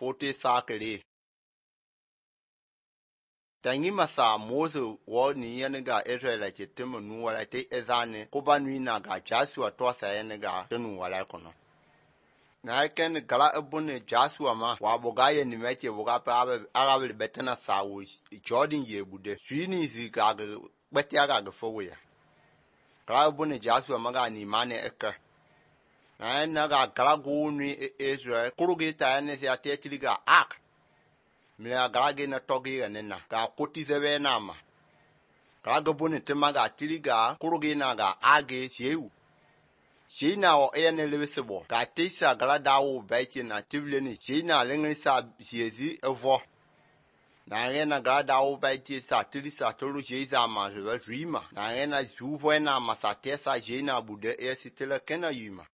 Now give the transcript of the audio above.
40 sakele. Tangi masa Moses wo ni yenega Israelite temo nuwala te ezane kuba nuina ga Joshua tosa yenega tenu wala kono. Na ken gala ebune Joshua ma waboga ye ni meche boga pa arabe betena sawo Jordan ye bude. Swini ziga beti aga fowe. Gala ebune Joshua maga ni mane eka. Na naga gala go ni Israel kurugi ta ne se atechiliga ak. Mila galage na togi ganena ka koti zebe nama kalaga bone temaga tiliga kurugi na ga age sieu sina o ene lebesebo ka tisa gala dawo baichi na tibleni sina lengrisa siezi evo na ngena gala dawo baichi sa tilisa tolu jeza ma rima na ngena juvo na masatesa jena bude esitela kena yima